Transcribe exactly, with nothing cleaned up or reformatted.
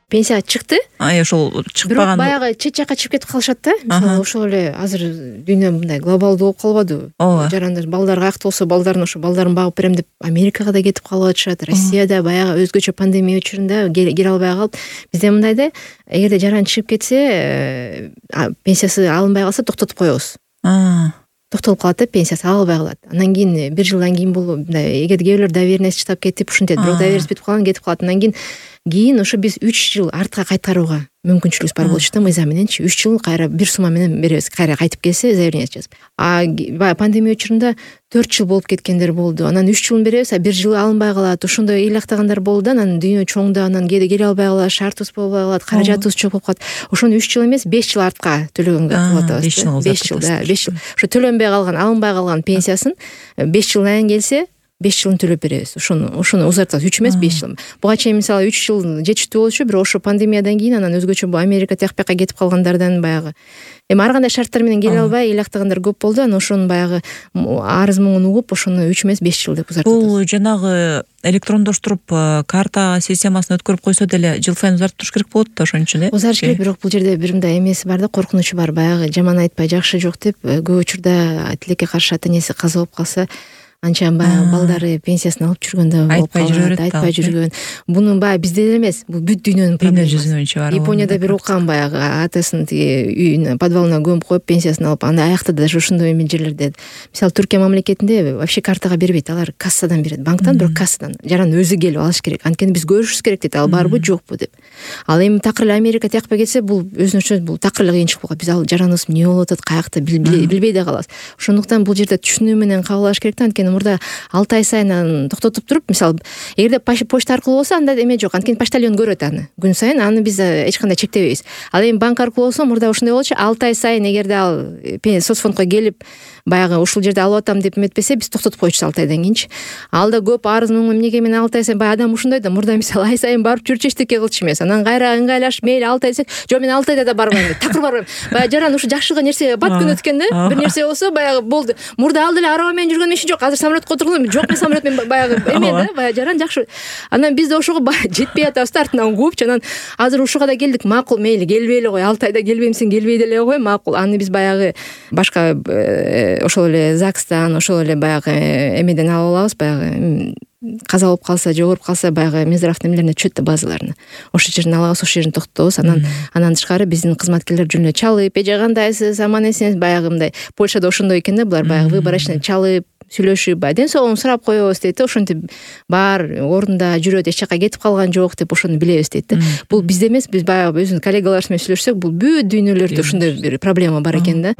пенсияга чыкты. Ай ошол чыкпаган. Бирок баягы чет жакка чыгып кетип калышат да. Мисалы ошол эле азыр дүйнө мындай глобалдуу болуп калбадыбы? Жарандар балдар каякта болсо балдарын ошо балдарын багып берем деп Америкага да кетип калып атышат. Россияда баягы өзгөчө пандемия учурунда келе албай калып, бизде мындай да, эгерде жаран чыгып кетсе, пенсиясы алынбай калса токтотуп коебуз. Токтолуп калат да, пенсиясы алынбай калат. Андан кийин бир жылдан кийин бул мындай эгерде кээ бирлер доверенность чыгып кетип ушинтет, бирок доверенность бүтүп калган кетип калат. Андан кийин кийин ошо биз үч жыл артка кайтарууга мүмкүнчүлүгүбүз бар болчу да, мыйзам мененчи. үч жыл кайра бир сумма менен беребиз, кайра кайтып келсе заявление жазып. А баягы пандемия учурунда төрт жыл болуп кеткендер болду. Анан үч жылын беребиз, а бир жылы алынбай калат. Ошондой ыйлактагандар болду да, анан дүйнө чоңду, анан кээде келе албай калат, шартыбыз болбой калат, каражатыбыз жок болуп калат. Ошону үч жыл эмес, беш жыл артка төлөгөнгө кылып атабыз. беш жыл, да, беш жыл. Ошо төлөнбөй калган, алынбай калган пенсиясын беш жылдан кийин келсе, беш жылын төлөп беребиз. Ошону ошону узартабыз. үч эмес, беш жыл. Буга чейин мисалы үч жыл жетиштүү болчу, бирок ошо пандемиядан кийин анан өзгөчө бу Америка тияк бияка кетип калгандардан баягы эми ар кандай шарттар менен келе албай ыйлактагандар көп болду. Анан ошонун баягы арыз муңун угуп, ошону үч эмес, беш жыл деп узартабыз. Бул жанагы электрондоштуруп карта системасын өткөрүп койсо деле жыл сайын узарттырыш керек болот да, ошон үчүн э. Узарыш керек, бирок бул жерде бир мындай эмеси бар да, коркунучу бар. Баягы жаман айтпай жакшы жок деп көп учурда тилекке каршы ата энеси каза болуп калса, анча баягы балдары пенсиясын алып жүргөндө болуп калат, айтпай жүргөн. Муну баягы бизде эле эмес, бул бүт дүйнөнүн проблемасы. Японияда бир уккан баягы атасын тиги үйүнө, подвалына көмүп коюп пенсиясын алып, анда аякта да ошондой эми жерлерде. Мисалы Түркия мамлекетинде вообще картага бербейт, алар кассадан берет, банктан, бирок кассадан. Жаран өзү келип алыш керек. Анткени биз көрүшүбүз керек дейт, ал барбы, жокпу деп. Ал эми такыр эле Америка тиякпа кетсе, бул өзүнчө бул такыр эле кыйынчылык болот. Биз ал жараныбыз эмне болуп атат, каякта билбей да калабыз. Ошондуктан бул жерде түшүнүү менен кабыл алыш керек да, анткени мурда алты ай сайын токтотуп туруп, мисалы, эгерде почта аркылуу болсо, анда эме жок, анткени почтальон көрөт аны. Күн сайын аны биз эч кандай чектебейбиз. Ал эми банк аркылуу болсо, мурда ошондой болчу, алты ай сайын эгерде ал соцфондко келип, баягы ушул жерде алып атам деп эметпесе, биз токтотуп койчубуз алты айдан кийинчи. Алда көп арыз муң эмнеге мен алты ай сайын, баягы адам ушундай да, мурда мисалы ай сайын барып жүрчү эчтеке кылчу эмес. Анан кайра ыңгайлашып, мейли алты ай десек, жок мен алты айда да барбайм деп, такыр барбайм. Баягы жаран ушу жакшыга нерсе бат күнөт экен да. Бир нерсе болсо, баягы болду. Мурда ал деле араба менен жүргөндөн иши жок. Азыр самолетко отургум, жок мен самолет менен баягы эме да, баягы жаран жакшы. Анан биз да ошого жетпей атабыз, артынан кууп, анан азыр ушуга да келдик, макул, мейли келбей эле кой, алты айда келбеймсиң, келбей деле кой, макул. Аны биз баягы башка ошол эле ЗАГСтан, ошол эле баягы эмеден алып алабыз, баягы каза болуп калса, жогоруп калса, баягы Минздравдын эмелерине түшөт да, базаларына. Ошол жерден алабыз, ошол жерин токтотобуз. Анан анан тышкары биздин кызматкерлер жөн эле чалып, эже кандайсыз, аман эсенсиз, баягы мындай. Польшада ошондой экен да, булар баягы выборочно чалып, сүйлөшүп, ден соолугун сурап коебуз дейт да, ошентип бар ордунда жүрөт, эч жака кетип калган жок деп ошону билебиз дейт да. Бул бизде эмес, биз баягы өзүнүн коллегаларыбыз менен сүйлөшсөк, бул бүт дүйнөлөрдө ушундай бир проблема бар экен да.